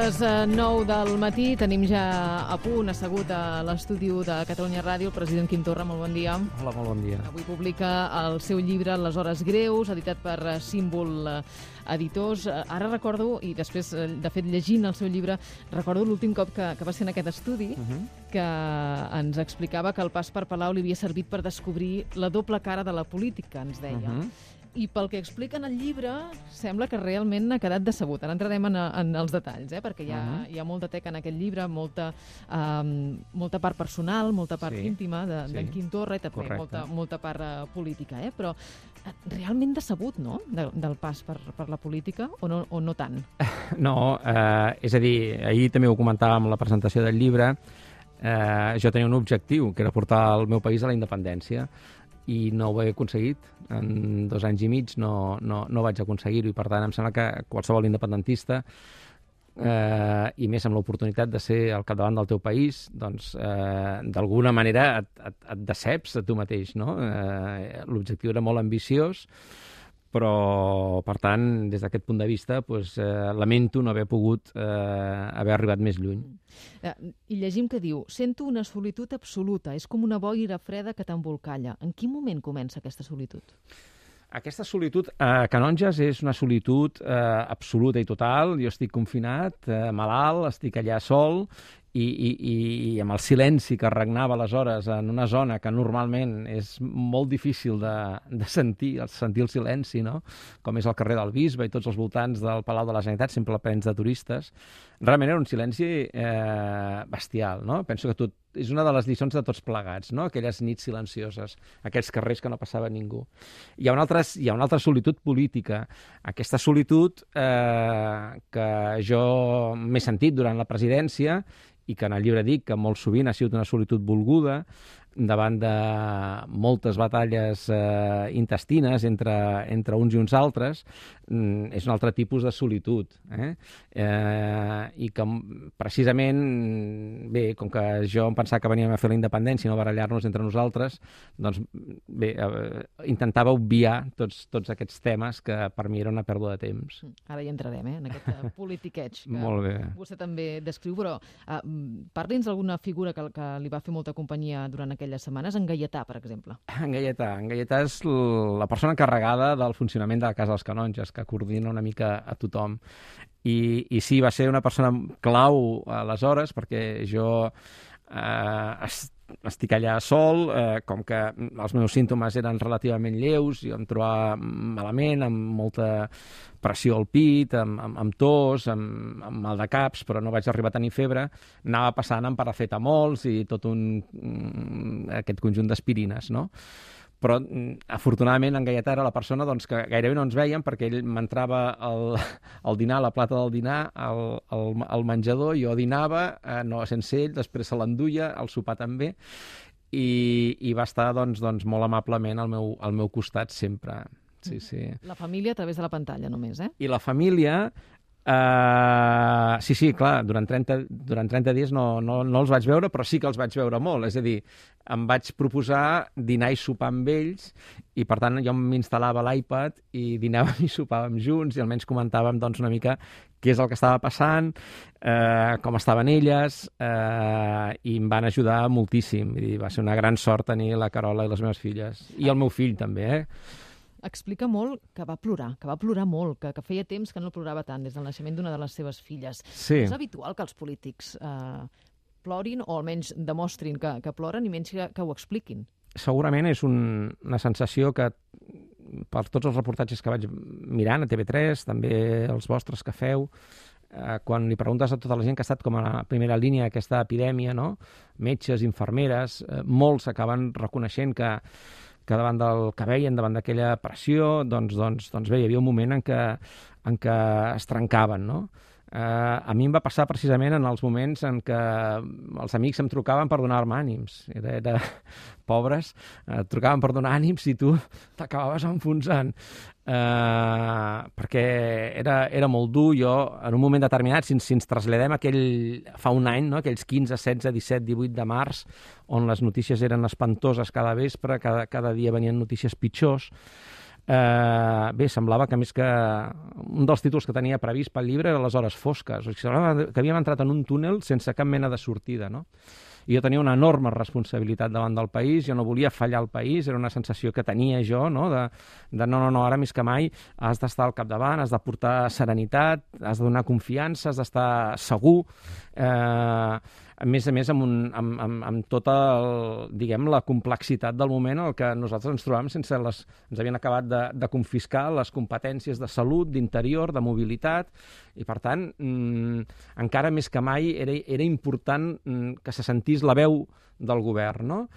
les 9 del matí, tenim ja a punt, assegut a l'estudi de Catalunya Ràdio, el president Quim Torra, molt bon dia. Hola, molt bon dia. Avui publica el seu llibre Les hores greus, editat per Símbol Editors. Ara recordo, i després, de fet, llegint el seu llibre, recordo l'últim cop que va ser en aquest estudi, que ens explicava que el pas per Palau li havia servit per descobrir la doble cara de la política, ens deia. I pel que explica en el llibre, sembla que realment ha quedat decebut. Ara entrarem en els detalls, perquè hi ha molta teca en aquest llibre, molta part personal, molta part íntima d'en Quim Torra i també molta part política. Però realment decebut, no?, del pas per la política, o no tant? No, és a dir, ahir també ho comentàvem en la presentació del llibre, jo tenia un objectiu, que era portar el meu país a la independència, i no ho he aconseguit. En 2 anys i mig no vaig aconseguir-ho, i per tant em sembla que qualsevol independentista, i més amb l'oportunitat de ser al capdavant del teu país, doncs d'alguna manera et deceps a tu mateix, no? L'objectiu era molt ambiciós, però, per tant, des d'aquest punt de vista, lamento no haver pogut haver arribat més lluny. I llegim que diu: sento una solitud absoluta, és com una boira freda que t'embolcalla. En quin moment comença aquesta solitud? Aquesta solitud a Canonges és una solitud absoluta i total. Jo estic confinat, malalt, estic allà sol, i amb el silenci que regnava aleshores en una zona que normalment és molt difícil de sentir el silenci, no?, com és el carrer del Bisbe i tots els voltants del Palau de la Generalitat, sempre plens de turistes. Realment era un silenci bestial, no? Penso que és una de les lliçons de tots plegats, no?, aquelles nits silencioses, aquells carrers que no passava ningú. Hi ha una altra solitud política, aquesta solitud que jo m'he sentit durant la presidència, i que en el llibre dic que molt sovint ha sigut una solitud volguda, davant de moltes batalles intestines entre uns i uns altres. És un altre tipus de solitud, i que precisament, bé, com que jo em pensava que veníem a fer la independència i no barallar-nos entre nosaltres, doncs bé, intentava obviar tots aquests temes que per mi era una pèrdua de temps. Ara hi entrarem, en aquest politiqueig que Molt bé. Vostè també descriu, però parli'ns d'alguna figura que li va fer molta companyia durant aquelles setmanes. En Gaietà, per exemple. En Gaietà és la persona encarregada del funcionament de la Casa dels Canonges, que coordina una mica a tothom. I sí, va ser una persona clau aleshores, perquè jo estic allà sol, com que els meus símptomes eren relativament lleus, jo em trobava malament, amb molta pressió al pit, amb tos, amb mal de caps, però no vaig arribar a tenir febre. Anava passant amb paracetamols i tot aquest conjunt d'aspirines, no? Però, afortunadament, en Gaietà era la persona que gairebé no ens veiem, perquè ell m'entrava al dinar, a la plata del dinar, al menjador, jo dinava, no sense ell, després se l'enduia, al sopar també, i va estar doncs molt amablement al meu costat sempre. Sí, sí. La família a través de la pantalla només, I la família... Sí, clar, durant 30 dies no els vaig veure, però sí que els vaig veure molt. És a dir, em vaig proposar dinar i sopar amb ells, i per tant jo m'instal·lava l'iPad i dinàvem i sopàvem junts, i almenys comentàvem una mica què és el que estava passant, com estaven elles, i em van ajudar moltíssim. I va ser una gran sort tenir la Carola i les meves filles, i el meu fill també, Explica molt que va plorar molt, que feia temps que no plorava tant des del naixement d'una de les seves filles. Sí. És habitual que els polítics plorin, o almenys demostrin que ploren, i menys que ho expliquin. Segurament és una sensació que, per tots els reportatges que vaig mirant a TV3, també els vostres que feu, quan li preguntes a tota la gent que ha estat com a la primera línia d'aquesta epidèmia, no?, metges, infermeres, molts acaben reconeixent que davant del que veien, davant d'aquella pressió, doncs bé, hi havia un moment en què es trencaven, no? A mi em va passar precisament en els moments en què els amics em trucaven per donar-me ànims. Era pobres, et trucaven per donar ànims i tu t'acabaves enfonsant. Perquè era molt dur. Jo, en un moment determinat, si ens traslladem fa un any, no? Aquells 15, 16, 17, 18 de març, on les notícies eren espantoses cada vespre, cada dia venien notícies pitjors, bé, semblava que més que un dels títols que tenia previst pel llibre era Les hores fosques. O sigui, semblava que havíem entrat en un túnel sense cap mena de sortida, no? I jo tenia una enorme responsabilitat davant del país, jo no volia fallar al país, era una sensació que tenia jo, no? De no, ara més que mai has d'estar al capdavant, has de portar serenitat, has de donar confiança, has d'estar segur, a més amb tota la complexitat del moment en què nosaltres ens trobàvem ens havien acabat de confiscar les competències de salut, d'interior, de mobilitat, i per tant, encara més que mai era important que se sentís la veu del govern, no?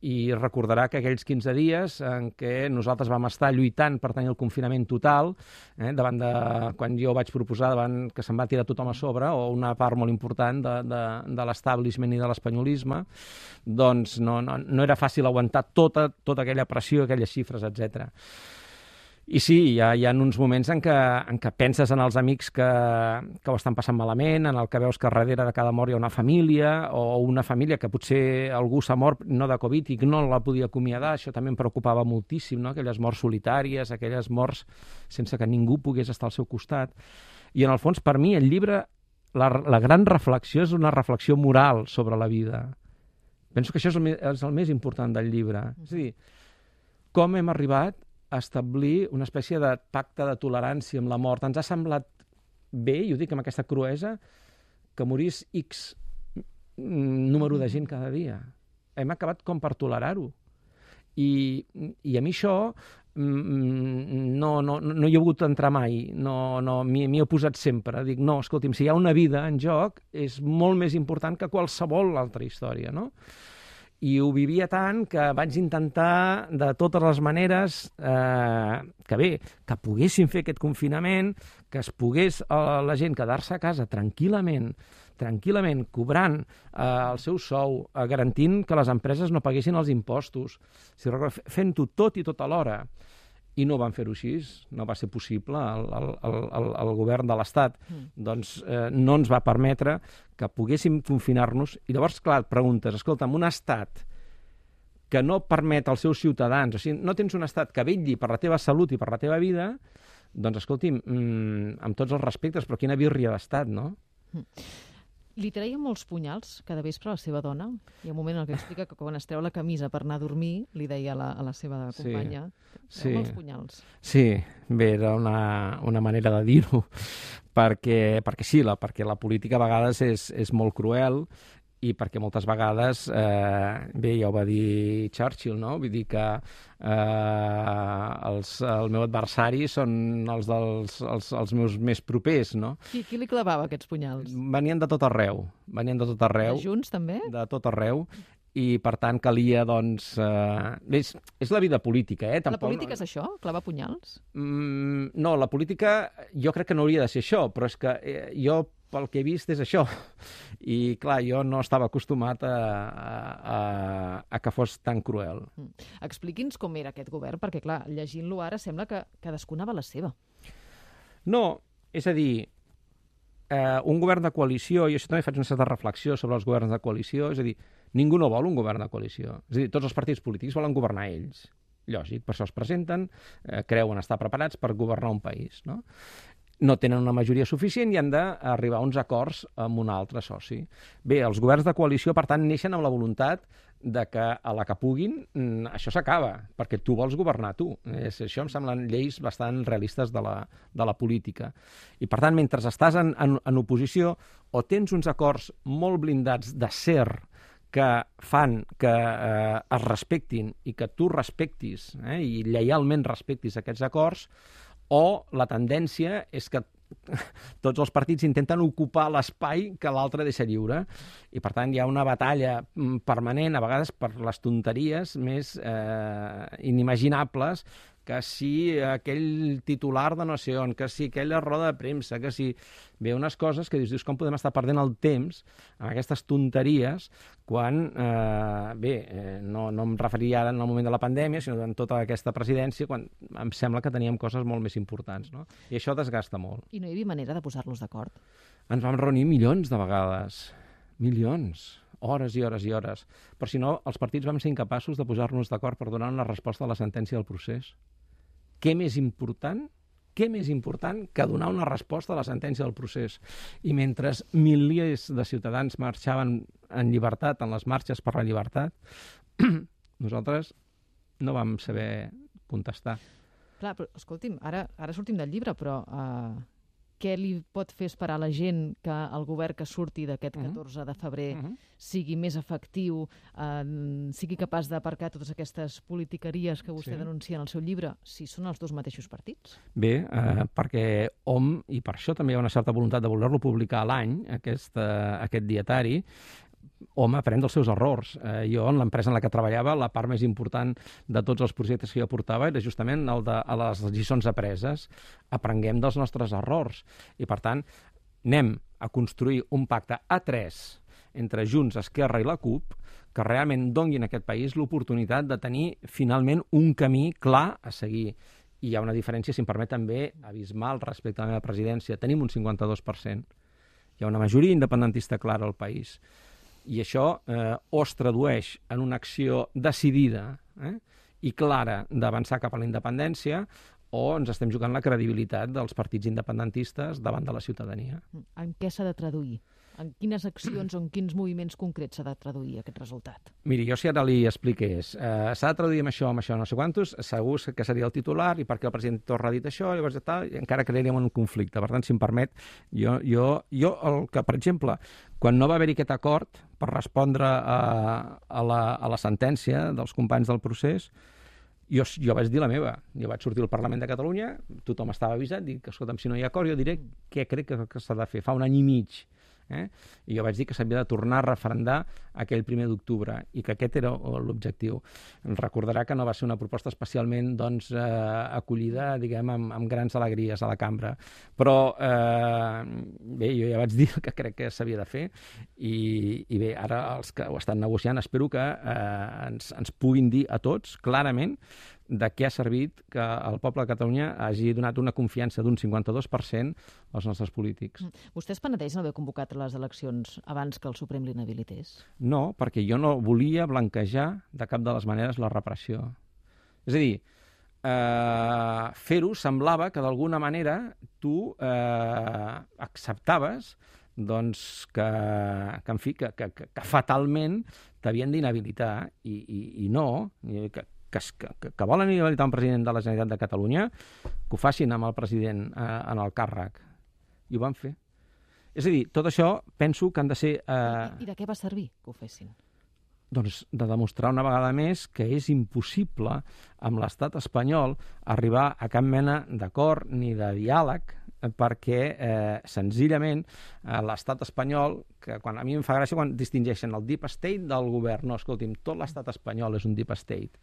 I recordarà que aquells 15 dies en què nosaltres vam estar lluitant per tenir el confinament total, davant de, quan jo vaig proposar, davant que se'n va tirar tothom a sobre, o una part molt important de l'establishment i de l'espanyolisme, doncs no era fàcil aguantar tota aquella pressió, aquelles xifres, etc. I sí, hi ha uns moments en què penses en els amics que ho estan passant malament, en el que veus que darrere de cada mort hi ha una família, o una família que potser algú s'ha mort no de Covid i no la podia acomiadar. Això també em preocupava moltíssim, no? Aquelles morts solitàries, aquelles morts sense que ningú pogués estar al seu costat. I en el fons, per mi, el llibre, la gran reflexió és una reflexió moral sobre la vida. Penso que això és el més important del llibre. És a dir, com hem arribat a establir una espècie de pacte de tolerància amb la mort. Ens ha semblat bé, i ho dic amb aquesta cruesa, que morís X número de gent cada dia. Hem acabat com per tolerar-ho. I a mi això no hi he volgut entrar mai, m'hi he posat sempre. Dic, no, escolti'm, si hi ha una vida en joc, és molt més important que qualsevol altra història, no? I ho vivia tant que vaig intentar de totes les maneres que poguessin fer aquest confinament, que es pogués la gent quedar-se a casa tranquil·lament, cobrant el seu sou, garantint que les empreses no paguessin els impostos, fent-ho tot i tot alhora. I no van fer-ho així, no va ser possible. El govern de l'Estat no ens va permetre que poguéssim confinar-nos. I llavors, clar, et preguntes, escolta'm, un estat que no permet als seus ciutadans, o sigui, no tens un estat que vetlli per la teva salut i per la teva vida, doncs, escolti'm, amb tots els respectes, però quina birria d'estat, no? Li treia molts punyals cada vespre a la seva dona. Hi ha un moment en què explica que quan es treu la camisa per anar a dormir, li deia a la seva companya, treu molts punyals. Sí, bé, era una manera de dir-ho, perquè la política a vegades és molt cruel, i perquè moltes vegades, bé, ja ho va dir Churchill, no? Vull dir que el meu adversari són els meus més propers, no? Qui li clavava aquests punyals? Venien de tot arreu. De Junts, també? De tot arreu. I, per tant, calia, doncs... és la vida política, eh? La política és això? Clavar punyals? No, la política jo crec que no hauria de ser això, però és que jo, pel que he vist, és això. I, clar, jo no estava acostumat a que fos tan cruel. Expliqui'ns com era aquest govern, perquè, clar, llegint-lo ara sembla que cadascú anava a la seva. No, és a dir, un govern de coalició, i això també faig una certa reflexió sobre els governs de coalició, és a dir, ningú no vol un govern de coalició. És a dir, tots els partits polítics volen governar ells. Lògic, per això es presenten, creuen estar preparats per governar un país, no? No tenen una majoria suficient i han d'arribar a uns acords amb un altre soci. Bé, els governs de coalició, per tant, neixen amb la voluntat de que a la que puguin això s'acaba, perquè tu vols governar tu. Això em semblen lleis bastant realistes de la política. I, per tant, mentre estàs en oposició, o tens uns acords molt blindats d'acer que fan que es respectin i que tu respectis i lleialment respectis aquests acords, o la tendència és que tots els partits intenten ocupar l'espai que l'altre deixa lliure. I, per tant, hi ha una batalla permanent, a vegades per les tonteries més inimaginables, que si aquell titular de no sé on, que si aquella roda de premsa, que si... Bé, unes coses que dius, com podem estar perdent el temps amb aquestes tonteries quan, no em referiria ara en el moment de la pandèmia, sinó en tota aquesta presidència, quan em sembla que teníem coses molt més importants, no? I això desgasta molt. I no hi havia manera de posar-los d'acord? Ens vam reunir milions de vegades. Milions. Hores i hores i hores. Però si no, els partits vam ser incapaços de posar-nos d'acord per donar una resposta a la sentència del procés. què més important que donar una resposta a la sentència del procés. I mentre milers de ciutadans marxaven en llibertat, en les marxes per la llibertat, nosaltres no vam saber contestar. Clar, però escolti'm, ara sortim del llibre, però què li pot fer esperar a la gent que el govern que surti d'aquest 14 de febrer sigui més efectiu, sigui capaç d'aparcar totes aquestes politiqueries que vostè denuncia en el seu llibre, si són els dos mateixos partits? Bé, perquè hom, i per això també hi ha una certa voluntat de voler-lo publicar a l'any, aquest dietari, hom aprèn dels seus errors. Jo, en l'empresa en la que treballava, la part més important de tots els projectes que jo portava era justament el de les lliçons apreses. Aprenguem dels nostres errors. I, per tant, anem a construir un pacte a 3 entre Junts, Esquerra i la CUP que realment doni a aquest país l'oportunitat de tenir finalment un camí clar a seguir. I hi ha una diferència, si em permet, també abismal respecte a la meva presidència. Tenim un 52%. Hi ha una majoria independentista clara al país. I això o es tradueix en una acció decidida i clara d'avançar cap a la independència o ens estem jugant la credibilitat dels partits independentistes davant de la ciutadania. En què s'ha de traduir? En quines accions o en quins moviments concrets s'ha de traduir aquest resultat? Miri, jo si ara li expliqués, s'ha de traduir amb això, no sé quantos, segur que seria el titular i perquè el president Torra ha dit això, llavors tal, i encara crearíem un conflicte. Per tant, si em permet, jo el que, per exemple, quan no va haver-hi aquest acord per respondre a la sentència dels companys del procés, jo vaig dir la meva. Jo vaig sortir al Parlament de Catalunya, tothom estava avisat, dic, escolta'm, si no hi ha acord, jo diré què crec que s'ha de fer. Fa un any i mig. I jo vaig dir que s'havia de tornar a referendar aquell 1 d'octubre i que aquest era l'objectiu. Recordarà que no va ser una proposta especialment acollida, diguem, amb grans alegries a la cambra. Però bé, jo ja vaig dir que crec que s'havia de fer i bé, ara els que ho estan negociant espero que ens puguin dir a tots clarament de què ha servit que el poble de Catalunya hagi donat una confiança d'un 52% als nostres polítics. Vostè es penedeix no haver convocat les eleccions abans que el Suprem l'inhabilités? No, perquè jo no volia blanquejar de cap de les maneres la repressió. És a dir, fer-ho semblava que d'alguna manera tu acceptaves doncs, que en fi, que fatalment t'havien d'inhabilitar i no, que volen inhabilitar un president de la Generalitat de Catalunya, que ho facin amb el president en el càrrec. I ho van fer. És a dir, tot això penso que han de ser... I de què va servir que ho fessin? Doncs de demostrar una vegada més que és impossible amb l'estat espanyol arribar a cap mena d'acord ni de diàleg perquè senzillament l'estat espanyol, que a mi em fa gràcia quan distingeixen el deep state del govern. No, escolti'm, tot l'estat espanyol és un deep state.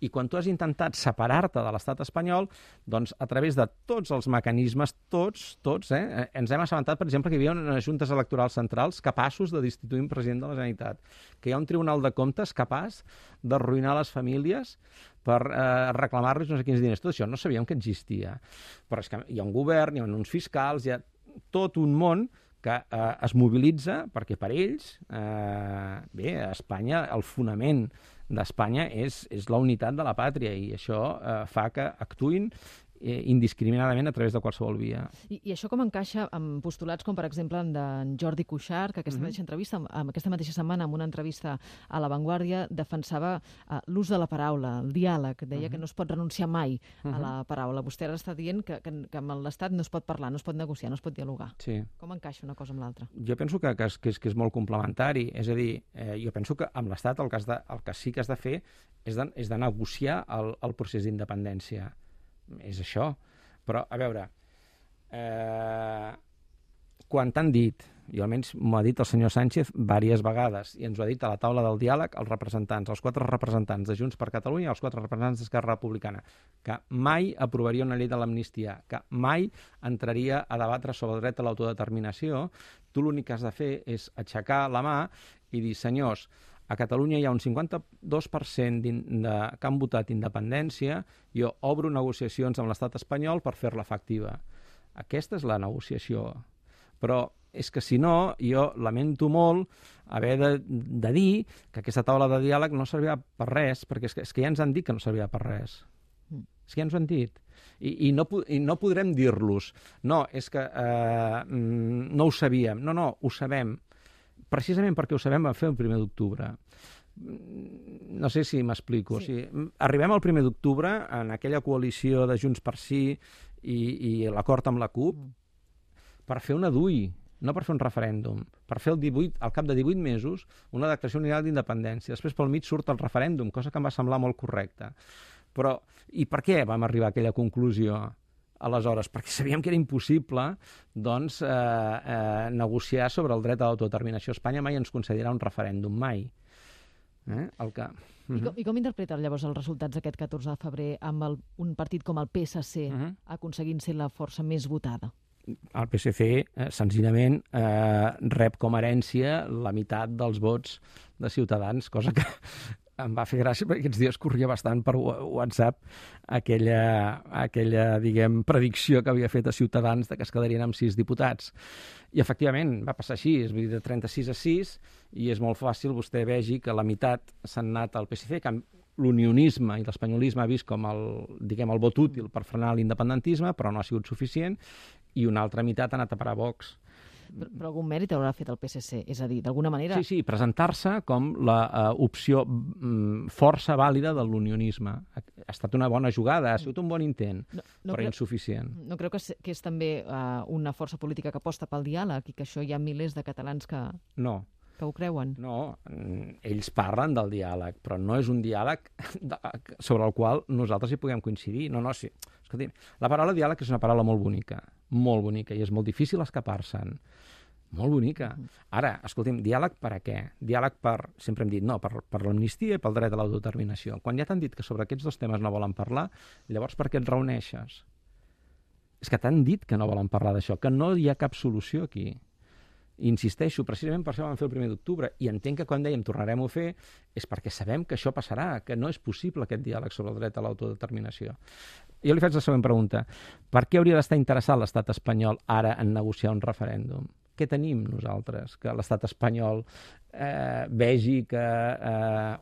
I quan tu has intentat separar-te de l'estat espanyol, doncs a través de tots els mecanismes, tots, ens hem assabentat, per exemple, que hi havia unes juntes electorals centrals capaços de destituir un president de la Generalitat, que hi ha un tribunal de comptes capaç d'arruïnar les famílies per reclamar-los no sé quins diners. Tot això no sabíem que existia. Però és que hi ha un govern, hi ha uns fiscals, hi ha tot un món que es mobilitza perquè per ells, bé, Espanya, el fonament d'Espanya és la unitat de la pàtria i això fa que actuïn indiscriminadament a través de qualsevol via. I això com encaixa amb postulats com, per exemple, d'en Jordi Cuixart, que aquesta mateixa setmana, en una entrevista a La Vanguardia, defensava l'ús de la paraula, el diàleg, deia que no es pot renunciar mai a la paraula. Vostè ara està dient que amb l'Estat no es pot parlar, no es pot negociar, no es pot dialogar. Sí. Com encaixa una cosa amb l'altra? Jo penso que és molt complementari. És a dir, jo penso que amb l'Estat el que sí que has de fer és de negociar el procés d'independència. És això. Però, a veure, quan t'han dit, i almenys m'ho ha dit el senyor Sánchez diverses vegades, i ens ho ha dit a la taula del diàleg els representants, els 4 representants de Junts per Catalunya i els 4 representants d'Esquerra Republicana, que mai aprovaria una llei de l'amnistia, que mai entraria a debatre sobre el dret a l'autodeterminació, tu l'únic que has de fer és aixecar la mà i dir, senyors, a Catalunya hi ha un 52% que han votat independència, jo obro negociacions amb l'estat espanyol per fer-la efectiva. Aquesta és la negociació. Però és que si no, jo lamento molt haver de dir que aquesta taula de diàleg no servirà per res, perquè és que ja ens han dit que no servirà per res. És que ja ens ho han dit. I no podrem dir-los, no, és que no ho sabíem. No, ho sabem. Precisament perquè ho sabem vam fer el 1 d'octubre. No sé si m'explico. Sí. O sigui, arribem al 1 d'octubre en aquella coalició de Junts per Sí i l'acord amb la CUP per fer una DUI, no per fer un referèndum, per fer al cap de 18 mesos una declaració unilateral d'independència. Després pel mig surt el referèndum, cosa que em va semblar molt correcta. Però, i per què vam arribar a aquella conclusió aleshores? Perquè sabíem que era impossible doncs, negociar sobre el dret a l'autodeterminació. Espanya mai ens concedirà un referèndum, mai. I com interpreten llavors els resultats d'aquest 14 de febrer amb un partit com el PSC aconseguint ser la força més votada? El PSC, senzillament, rep com a herència la meitat dels vots de Ciutadans, cosa que em va fer gràcia perquè aquests dies corria bastant per WhatsApp aquella diguem, predicció que havia fet a Ciutadans de que es quedarien amb 6 diputats. I, efectivament, va passar així, és a dir, de 36 a 6, i és molt fàcil vostè vegi que la meitat s'han anat al PSC, que l'unionisme i l'espanyolisme ha vist com el vot útil per frenar l'independentisme, però no ha sigut suficient, i una altra meitat ha anat a parar a Vox. Però algun mèrit haurà fet el PSC, és a dir, d'alguna manera... Sí, presentar-se com l'opció força vàlida de l'unionisme. Ha estat una bona jugada, ha sigut un bon intent, però insuficient. No creu que és també una força política que aposta pel diàleg i que això hi ha milers de catalans que ho creuen? No, ells parlen del diàleg, però no és un diàleg sobre el qual nosaltres hi puguem coincidir. No, sí. Escolti, la paraula diàleg és una paraula molt bonica, i és molt difícil escapar-se'n. Molt bonica. Ara, escolti'm, diàleg per a què? Diàleg per, sempre hem dit, no, per l'amnistia i pel dret a l'autodeterminació. Quan ja t'han dit que sobre aquests dos temes no volen parlar, llavors per què et reuneixes? És que t'han dit que no volen parlar d'això, que no hi ha cap solució aquí. Insisteixo, precisament per això vam fer el 1 d'octubre, i entenc que quan dèiem tornarem a fer és perquè sabem que això passarà, que no és possible aquest diàleg sobre el dret a l'autodeterminació. Jo li faig la següent pregunta. Per què hauria d'estar interessat l'estat espanyol ara en negociar un referèndum? Què tenim nosaltres? Que l'estat espanyol vegi que,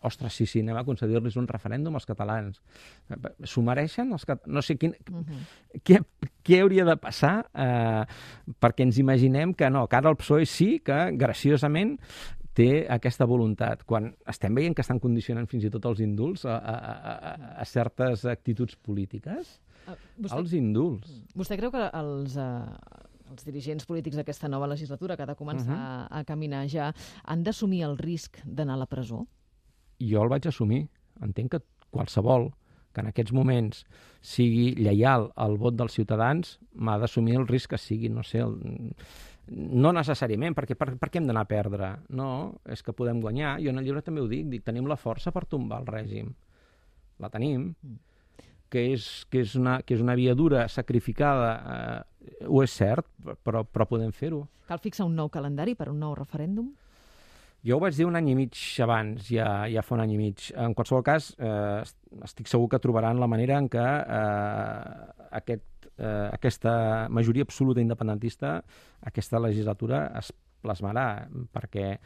ostres, sí, anem a concedir-los un referèndum als catalans. S'ho mereixen? No sé què hauria de passar perquè ens imaginem que no, que ara el PSOE sí que, graciosament, té aquesta voluntat, quan estem veient que estan condicionant fins i tot els indults a certes actituds polítiques? Els indults. Vostè creu que els dirigents polítics d'aquesta nova legislatura, que ha de començar a caminar ja, han d'assumir el risc d'anar a la presó? Jo el vaig assumir. Entenc que qualsevol que en aquests moments sigui lleial al vot dels ciutadans m'ha d'assumir el risc que sigui, no sé, no necessàriament, perquè per què hem d'anar a perdre? No, és que podem guanyar. Jo en el llibre també ho dic, tenim la força per tombar el règim. La tenim. Que és una via dura, sacrificada, ho és cert, però podem fer-ho. Cal fixar un nou calendari per un nou referèndum? Jo ho vaig dir un any i mig abans, ja fa un any i mig. En qualsevol cas, estic segur que trobaran la manera en què aquesta majoria absoluta independentista, aquesta legislatura, es plasmarà, perquè,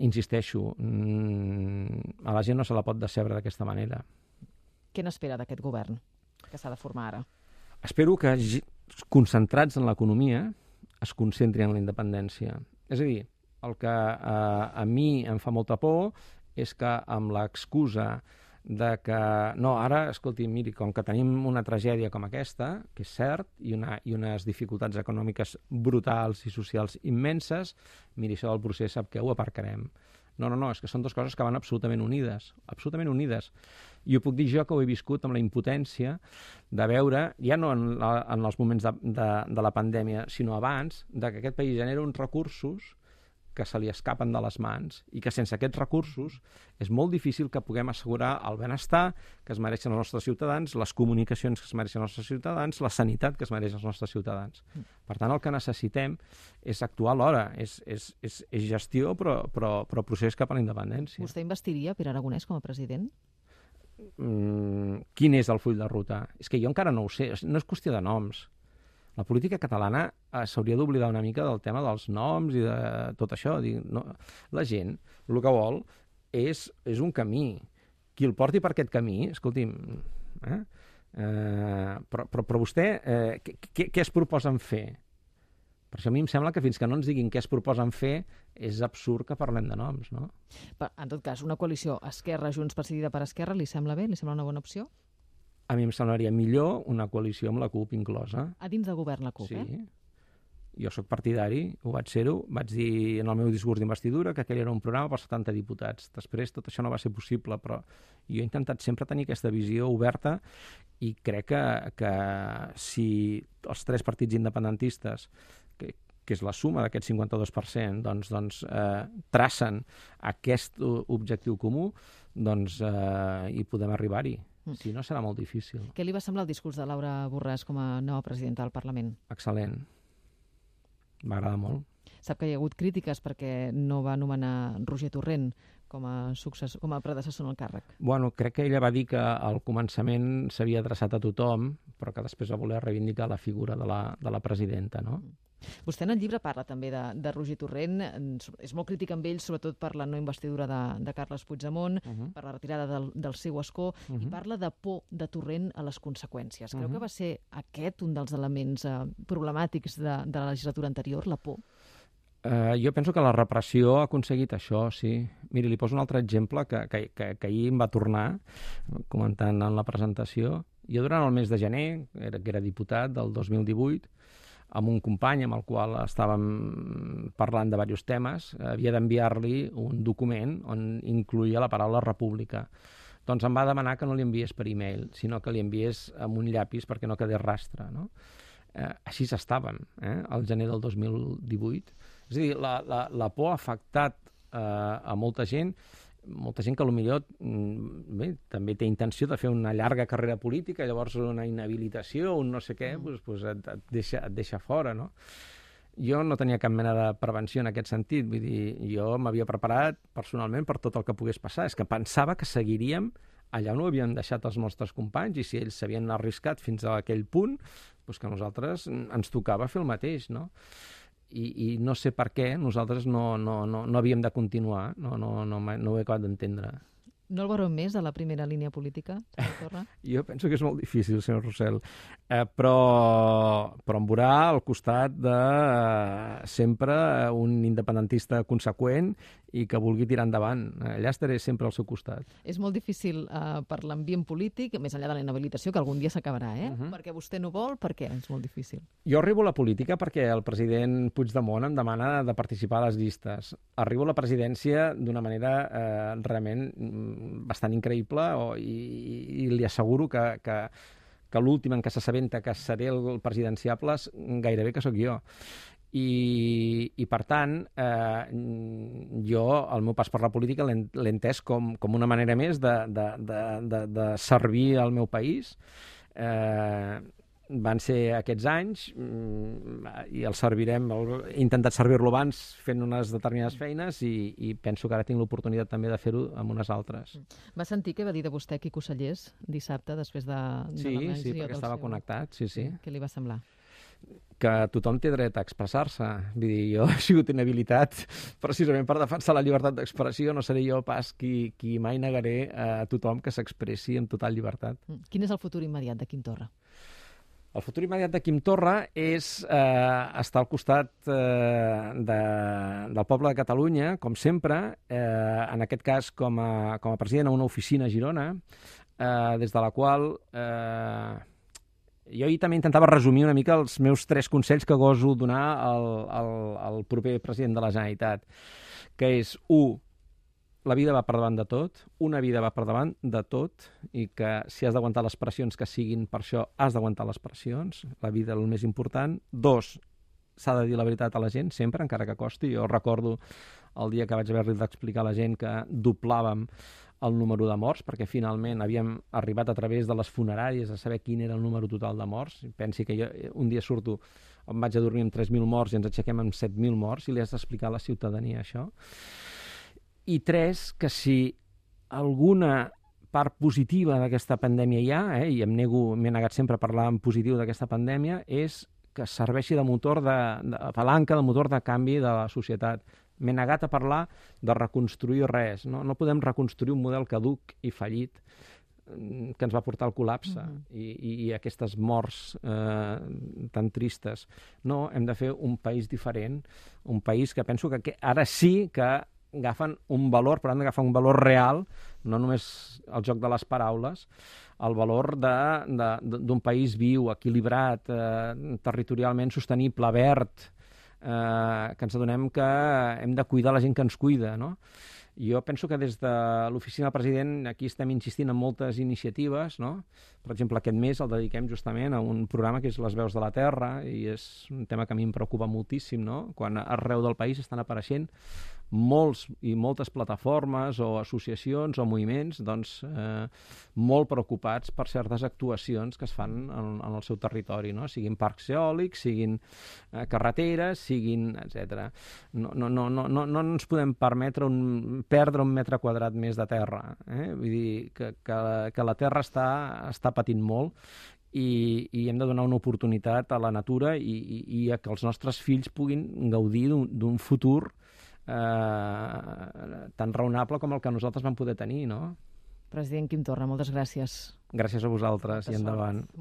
insisteixo, a la gent no se la pot decebre d'aquesta manera. Què n'espera d'aquest govern que s'ha de formar ara? Espero que, concentrats en l'economia, es concentrin en la independència. És a dir, el que a mi em fa molta por és que amb l'excusa de que, no, ara, escolti, miri, com que tenim una tragèdia com aquesta, que és cert, i unes dificultats econòmiques brutals i socials immenses, miri, això del procés sap què, ho aparcarem. No, és que són dues coses que van absolutament unides, I ho puc dir jo, que ho he viscut amb la impotència de veure, ja no en els moments de la pandèmia, sinó abans, de que aquest país genera uns recursos que se li escapen de les mans i que sense aquests recursos és molt difícil que puguem assegurar el benestar que es mereixen els nostres ciutadans, les comunicacions que es mereixen els nostres ciutadans, la sanitat que es mereixen els nostres ciutadans. Per tant, el que necessitem és actuar alhora, és gestió però procés cap a la independència. Vostè investiria Pere Aragonès com a president? Quin és el full de ruta? És que jo encara no ho sé, no és qüestió de noms. La política catalana s'hauria d'oblidar una mica del tema dels noms i de tot això. La gent el que vol és un camí. Qui el porti per aquest camí, escolti'm, Però vostè, què es proposen fer? Per això a mi em sembla que fins que no ens diguin què es proposen fer és absurd que parlem de noms, no? En tot cas, una coalició Esquerra, Junts decidida per Esquerra, li sembla bé? Li sembla una bona opció? A mi em semblaria millor una coalició amb la CUP inclosa. A dins de govern la CUP, sí. Jo sóc partidari, vaig dir en el meu discurs d'investidura que aquell era un programa per 70 diputats. Després tot això no va ser possible, però jo he intentat sempre tenir aquesta visió oberta i crec que si els 3 partits independentistes, que és la suma d'aquest 52%, doncs tracen aquest objectiu comú, doncs hi podem arribar-hi. Si no, serà molt difícil. Què li va semblar el discurs de Laura Borràs com a nova presidenta del Parlament? Excel·lent. M'agrada molt. Sap que hi ha hagut crítiques perquè no va nomenar Roger Torrent com a predecessor en el càrrec. Bueno, crec que ella va dir que al començament s'havia adreçat a tothom, però que després va voler reivindicar la figura de la presidenta, no? Vostè en el llibre parla també de Roger Torrent, és molt crític amb ell, sobretot per la no investidura de Carles Puigdemont, per la retirada del seu escó, i parla de por de Torrent a les conseqüències. Creu que va ser aquest un dels elements problemàtics de la legislatura anterior, la por? Jo penso que la repressió ha aconseguit això, sí. Miri, li poso un altre exemple que ahir em va tornar, comentant en la presentació. Jo durant el mes de gener, que era diputat del 2018, amb un company amb el qual estàvem parlant de diversos temes, havia d'enviar-li un document on incloïa la paraula república. Doncs em va demanar que no li enviés per e-mail, sinó que li enviés amb un llapis perquè no quedés rastre, no? Així estàvem, al gener del 2018. És a dir, la por ha afectat a molta gent que potser també té intenció de fer una llarga carrera política, llavors una inhabilitació, un no sé què, doncs et deixa fora, no? Jo no tenia cap mena de prevenció en aquest sentit, vull dir, jo m'havia preparat personalment per tot el que pogués passar. És que pensava que seguiríem allà on ho havien deixat els nostres companys, i si ells s'havien arriscat fins a aquell punt, doncs que a nosaltres ens tocava fer el mateix, no? I no sé per què nosaltres no havíem de continuar, no ho he acabat d'entendre. No el veurem més a la primera línia política, senyor Torra? Jo penso que és molt difícil, senyor Rossell, però em veurà al costat de sempre un independentista conseqüent i que vulgui tirar endavant. Allà estaré sempre al seu costat. És molt difícil per l'ambient polític, més enllà de la inhabilitació, que algun dia s'acabarà, Perquè vostè no vol, per què? És molt difícil. Jo arribo a la política perquè el president Puigdemont em demana de participar a les llistes. Arribo a la presidència d'una manera realment bastant increïble i li asseguro que l'últim en què s'assabenta que seré el presidenciable gairebé que sóc jo. I per tant, jo el meu pas per la política l'he entès com una manera més de servir al meu país. Van ser aquests anys i el servirem, he intentat servir-lo abans fent unes determinades feines i penso que ara tinc l'oportunitat també de fer-ho amb unes altres. Va sentir què va dir de vostè Quico Sallés dissabte després de Sí, perquè estava connectat, sí. Què li va semblar? Que tothom té dret a expressar-se. Vull dir, jo he sigut inhabilitat precisament per defensar la llibertat d'expressió, no seré jo pas qui mai negaré a tothom que s'expressi amb total llibertat. Quin és el futur immediat de Quim Torra? El futur immediat de Quim Torra és estar al costat del poble de Catalunya, com sempre, en aquest cas com a president a una oficina a Girona, des de la qual jo ahir també intentava resumir una mica els meus 3 consells que goso donar al proper president de la Generalitat, que és 1. La vida va per davant de tot, una vida va per davant de tot, i que si has d'aguantar les pressions que siguin per això, has d'aguantar les pressions, la vida és el més important. 2, s'ha de dir la veritat a la gent, sempre, encara que costi. Jo recordo el dia que vaig haver-li d'explicar a la gent que doblàvem el número de morts, perquè finalment havíem arribat a través de les funeràries a saber quin era el número total de morts. Pensi que jo un dia surto, em vaig a dormir amb 3.000 morts i ens aixequem amb 7.000 morts, i li has d'explicar a la ciutadania això. I 3, que si alguna part positiva d'aquesta pandèmia hi ha, i m'he negat sempre a parlar en positiu d'aquesta pandèmia, és que serveixi de motor, de palanca, de motor de canvi de la societat. M'he negat a parlar de reconstruir res. No podem reconstruir un model caduc i fallit. que ens va portar al col·lapse i aquestes morts tan tristes. No, hem de fer un país diferent, un país que penso que ara sí que agafen un valor, però han d'agafar un valor real, no només el joc de les paraules, el valor d'un país viu, equilibrat, territorialment sostenible, verd, que ens adonem que hem de cuidar la gent que ens cuida, no? Jo penso que des de l'oficina del president aquí estem insistint en moltes iniciatives, no? Per exemple, aquest mes el dediquem justament a un programa que és Les veus de la terra i és un tema que a mi em preocupa moltíssim, no? Quan arreu del país estan apareixent molts i moltes plataformes o associacions o moviments doncs, molt preocupats per certes actuacions que es fan en el seu territori, no? Siguin parcs eòlics, siguin carreteres, siguin etc. No ens podem permetre perdre 1 metre quadrat més de terra. Vull dir que la terra està patint molt i hem de donar una oportunitat a la natura i a que els nostres fills puguin gaudir d'un futur tan raonable com el que nosaltres vam poder tenir, no? President Quim Torra, moltes gràcies. Gràcies a vosaltres i endavant.